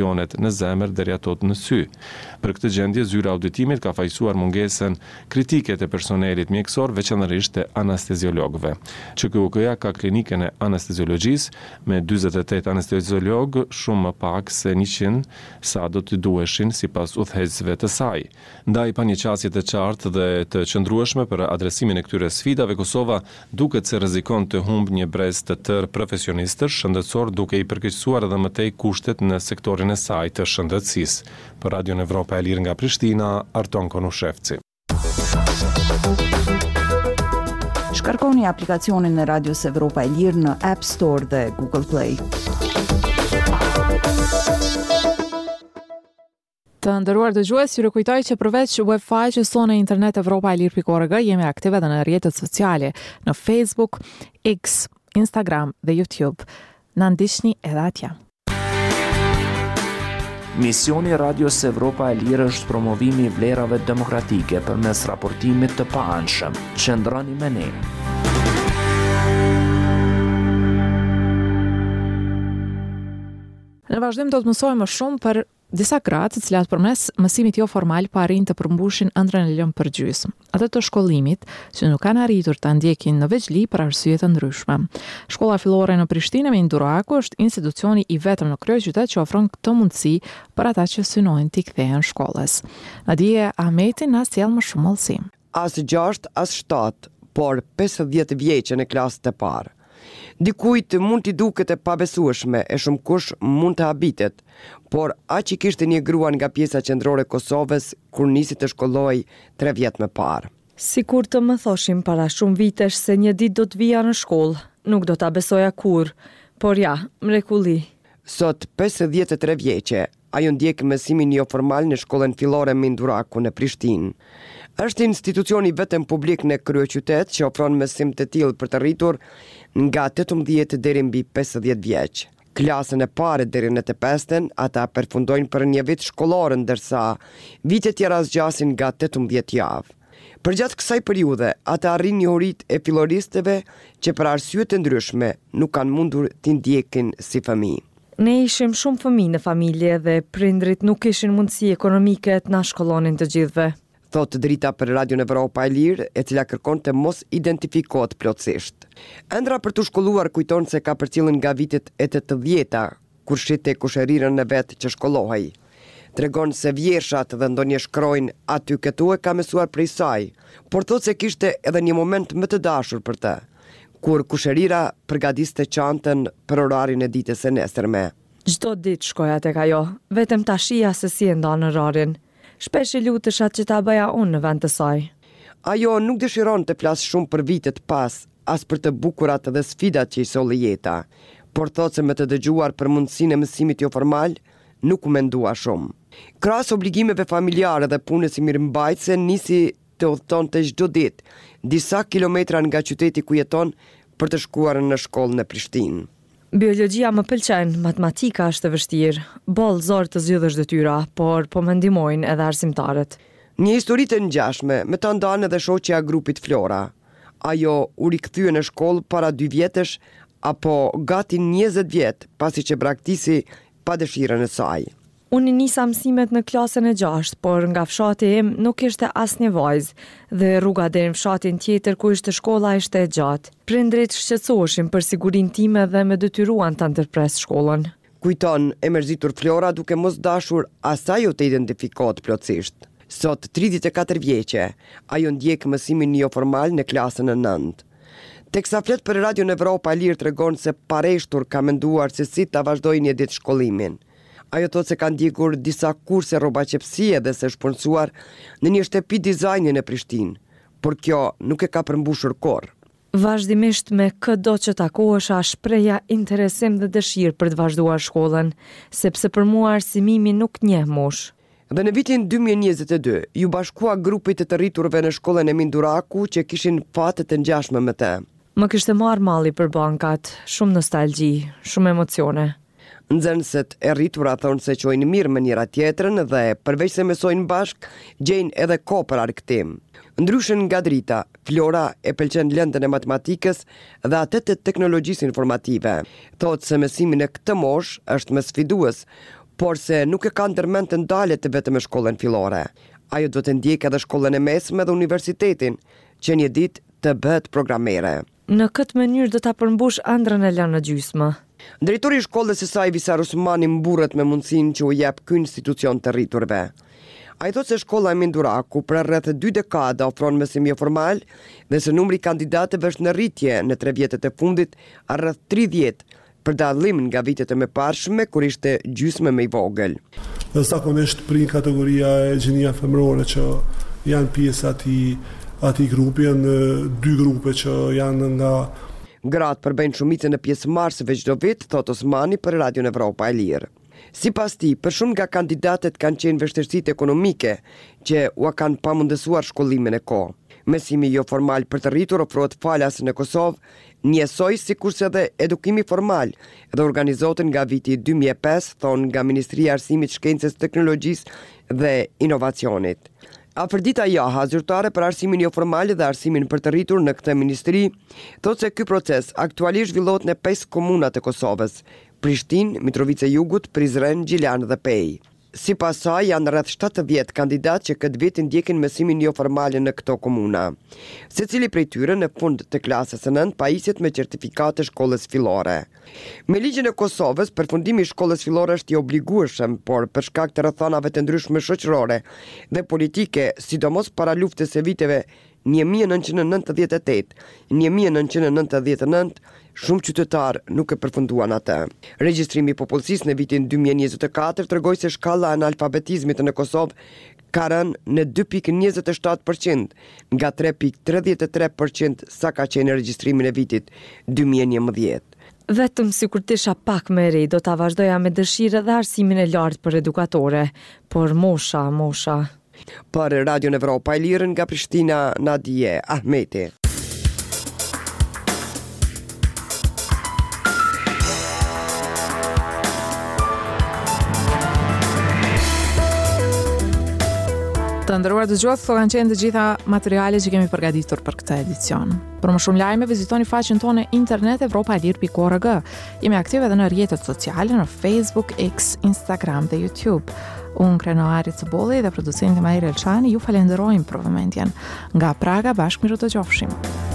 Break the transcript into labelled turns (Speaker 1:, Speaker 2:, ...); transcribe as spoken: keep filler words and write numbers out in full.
Speaker 1: Lezionet në zemër deri ato në sy. Për këtë gjendje, zyra e auditimit ka fajësuar mungesën kritike të personelit mjekësor, veçanërisht të anesteziologëve. Q K U K-ja ka klinikën e anesteziologjisë me dyzet e tetë anesteziologë, shumë më pak se njëqind sa do të duheshin sipas udhëheqësve të saj. Ndaj, pa një qasje të qartë dhe të qëndrueshme për adresimin e këtyre sfidave, Kosova duket se rrezikon të humb një brez të tërë profesionistësh shëndetësor, duke i përkeqësuar edhe më tej kushtet në sektorin e saj të shëndetësisë. Për Radion Evropa e Lirë nga Prishtina, Arton Konushevci.
Speaker 2: Shkarkoni aplikacionin e Radios Evropa e Lirë në App Store dhe Google Play.
Speaker 3: Të nderuar dëgjues, ju rikujtoj që përveç web faqes sonë në internet evropaelir pikë org, jemi aktive edhe në rrjetet sociale, në Facebook, X, Instagram dhe YouTube. Na ndiqni edhe atje.
Speaker 4: Misioni i Radios Evropa e Lirë është promovimi i vlerave demokratike përmes raportimit të paanshëm. Qëndroni me ne.
Speaker 3: Në vazhdim do të mësojmë më shumë për disa gra të cilat përmes mësimit jo formal po arrijnë të përmbushin ëndrrën e lënë për gjysmë, atë të shkollimit, që nuk kanë arritur ta ndjekin në vegjëli për arsye të ndryshme. Shkolla fillore në Prishtinë Emin Duraku është institucioni i vetëm në kryeqytet që ofron këtë mundësi për ata që synojnë t'i kthehen shkollës. Nadie Ahmeti na sjell më shumë hollësi.
Speaker 5: As gjashtë, as shtatë, por pesëdhjetë vjeçë në klasë të parë. Dikujt mund t'i duket e pabesueshme e shumë kush mund të habitet, por aq i kishte një grua nga pjesa qendrore e Kosovës kur nisi të shkollohej tre vjet më parë.
Speaker 6: Sikur të më thoshin para shumë vitesh se një ditë do të vija në shkollë, nuk do ta besoja kurrë, por ja, mrekulli.
Speaker 5: Sot pesëdhjetë e tre vjeçe, ajo ndjek mësimin joformal në shkollën fillore Emin Duraku në Prishtinë. Është institucioni vetëm publik në kryeqytet që ofron mësim të tillë për të rritur nga tetëmbëdhjetë deri mbi pesëdhjetë vjeç. Klasën e parë deri në të pestën, ata përfundojnë për një vit shkollor, ndërsa vitet tjera zgjasin nga tetëmbëdhjetë javë. Përgjatë kësaj periudhe, ata arrijnë njohuritë e filloristëve që për arsye të ndryshme nuk kanë mundur t'i ndjekin si fëmijë.
Speaker 6: Ne ishim shumë fëmijë në familje dhe prindrit nuk kishin mundësi ekonomike të na shkollonin të gjithëve.
Speaker 5: Thotë Drita për Radion Evropa e Lirë, e cila kërkon të mos identifikohet plotësisht. Ëndra për të shkolluar kujton se ka përcjellën nga vitet e tetëdhjeta, kur shihte kushërirën e vet që shkollohej. Tregon se vjershat dhe ndonjë shkronjë aty këtu e ka mësuar prej saj, por thotë se kishte edhe një moment më të dashur për të, kur kushërira përgatiste çantën për orarin e ditës së nesërme.
Speaker 6: Çdo ditë shkoja tek ajo, vetëm ta shihja se si e ndan orarin. Shpesh i lutesha që ta bëja unë në vend të saj.
Speaker 5: Ajo nuk dëshiron të flasë shumë për vitet pas, as për të bukurat dhe sfidat që i solli jeta, por thotë se me të dëgjuar për mundësinë e mësimit joformal, nuk u mendua shumë. Krahas obligimeve familjare dhe punës si mirëmbajtëse, nisi të udhëtonte çdo ditë, disa kilometra nga qyteti ku jeton për të shkuar në shkollë në Prishtinë.
Speaker 6: Biologjia më pëlqen, matematika është e vështirë. Boll zor të zgjidhësh detyra, por po më ndihmojnë edhe arsimtarët.
Speaker 5: Një histori të ngjashme me ta ndan edhe shoqja e grupit Flora. Ajo u rikthye në shkollë para dy vjetësh apo gati njëzet vjet pasi që braktisi pa dëshirën e saj.
Speaker 6: Unë i nisa mësimet në klasën e gjashtë, por nga fshati im nuk ishte asnjë vajzë dhe rruga deri në fshatin tjetër ku ishte shkolla ishte e gjatë. Prindrit shqetësoheshin për sigurinë time dhe më detyruan ta ndërpres shkollën.
Speaker 5: Kujton e mërzitur Flora duke mos dashur as ajo të identifikohet plotësisht. Sot tridhjetë e katër vjeçe, ajo ndjek mësimin joformal në klasën e nëntë. Teksa flet për Radion Evropa e Lirë tregon se pareshtur ka menduar se si ta vazhdojë një ditë shkollimin. Ajo thotë se ka ndjekur disa kurse rrobaqepësie dhe se është punësuar në një shtëpi dizajni në Prishtinë, por kjo nuk e ka përmbushur kurrë.
Speaker 6: Vazhdimisht me këdo që takohesha shprehja interesim dhe dëshirë për të vazhduar shkollën, sepse për mua arsimimi nuk njeh moshë.
Speaker 5: Dhe në vitin dy mijë e njëzet e dy, ju bashkua grupit të të rriturve në shkollën Emin Duraku që kishin fate të ngjashme me të.
Speaker 6: Më kishte marrë malli për bankat, shumë nostalgji, shumë emocione.
Speaker 5: Nxënëset e rritura thonë se qojnë mirë me njëra tjetrën dhe përveç se mësojnë bashk, gjejnë edhe kohë për argëtim. Ndryshe nga Drita, Flora e pëlqen lëndën e matematikës dhe atë të teknologjisë informative. Thotë se mësimi në këtë moshë është më sfidues, Por se nuk e ka ndërmend të ndalet vetëm me shkollën fillore. Ajo do të ndjekë edhe shkollën e mesme dhe universitetin, që një ditë të bëhet programere.
Speaker 6: Në këtë mënyrë do ta përmbush ëndrrën e lënë në gjysmë.
Speaker 5: Drejtori i shkollës së saj Visar Osmani mburret me mundësinë që u jep ky institucion të rriturve. Ai thotë se shkolla Emin Duraku për rreth dy dekada ofron mësim joformal dhe se numri i kandidatëve është në rritje në tre vjetët e fundit rreth tridhjetë, për dallim nga vitet e mëparshme kur ishte gjysmë më i vogël.
Speaker 7: Dhe zakonisht prin kategoria e gjinia femërore që janë pjesë atij atij grupi, janë dy grupe që janë nga
Speaker 5: Gratë përbëjnë shumicën e pjesëmarrësve çdo vit, thotë Osmani për Radion Evropa e Lirë. Sipas tij, për shumë nga kandidatët kanë qenë vështirësitë ekonomike që ua kanë pamundësuar shkollimin e kohë. Mësimi joformal për të rritur ofrohet falas në Kosovë, njësoj sikurse edhe edukimi formal dhe organizohet nga viti dy mijë e pesë, thonë nga Ministria e Arsimit, Shkencës, Teknologjisë dhe Inovacionit. Afërdita Jaha, zyrtare për arsimin joformal dhe arsimin për të rritur në këtë ministri, thotë se ky proces aktualisht zhvillohet në pesë komunat e Kosovës: Prishtinë, Mitrovicë e Jugut, Prizren, Gjilan dhe Pejë. Sipas saj, janë rreth shtatëdhjetë kandidatë që këtë vit ndjekin mësimin joformal në këto komuna. Secili prej tyre në fund të klasës së nëntë pajiset me certifikatë të shkollës fillore. Me ligjin e Kosovës, përfundimi i shkollës fillore është i obligueshëm, por për shkak të rrethanave të ndryshme shoqërore dhe politike, sidomos para luftës së viteve një mijë e nëntëqind e nëntëdhjetë e tetë, një mijë e nëntëqind e nëntëdhjetë e nëntë, shumë qytetarë nuk e përfunduan atë. Regjistrimi i popullsisë në vitin dy mijë e njëzet e katër tregoi se shkalla e analfabetizmit në Kosovë ka rënë në dy pikë njëzet e shtatë përqind, nga tre pikë tridhjetë e tre përqind sa ka qenë në regjistrimin e vitit dy mijë e njëmbëdhjetë.
Speaker 6: Vetëm sikur të isha pak më e re, do ta vazhdoja me dëshirë edhe arsimin e lartë për edukatore, por mosha, mosha.
Speaker 5: Për Radion Evropa e Lirë nga Prishtina, Nadie Ahmeti.
Speaker 3: Të nderuar dëgjues, këto kanë qenë të gjitha materialet që kemi përgatitur për këtë edicion. Për më shumë lajme, vizitoni faqen tonë internet evropa e lirë pikë org. Jemi aktive edhe në rrjetet sociale, në Facebook, X, Instagram dhe YouTube. Unë Krenari Cubolli dhe producenti Mahir Elshani ju falenderojmë për vëmendjen. Nga Praga bashkë mirudëgjofshim.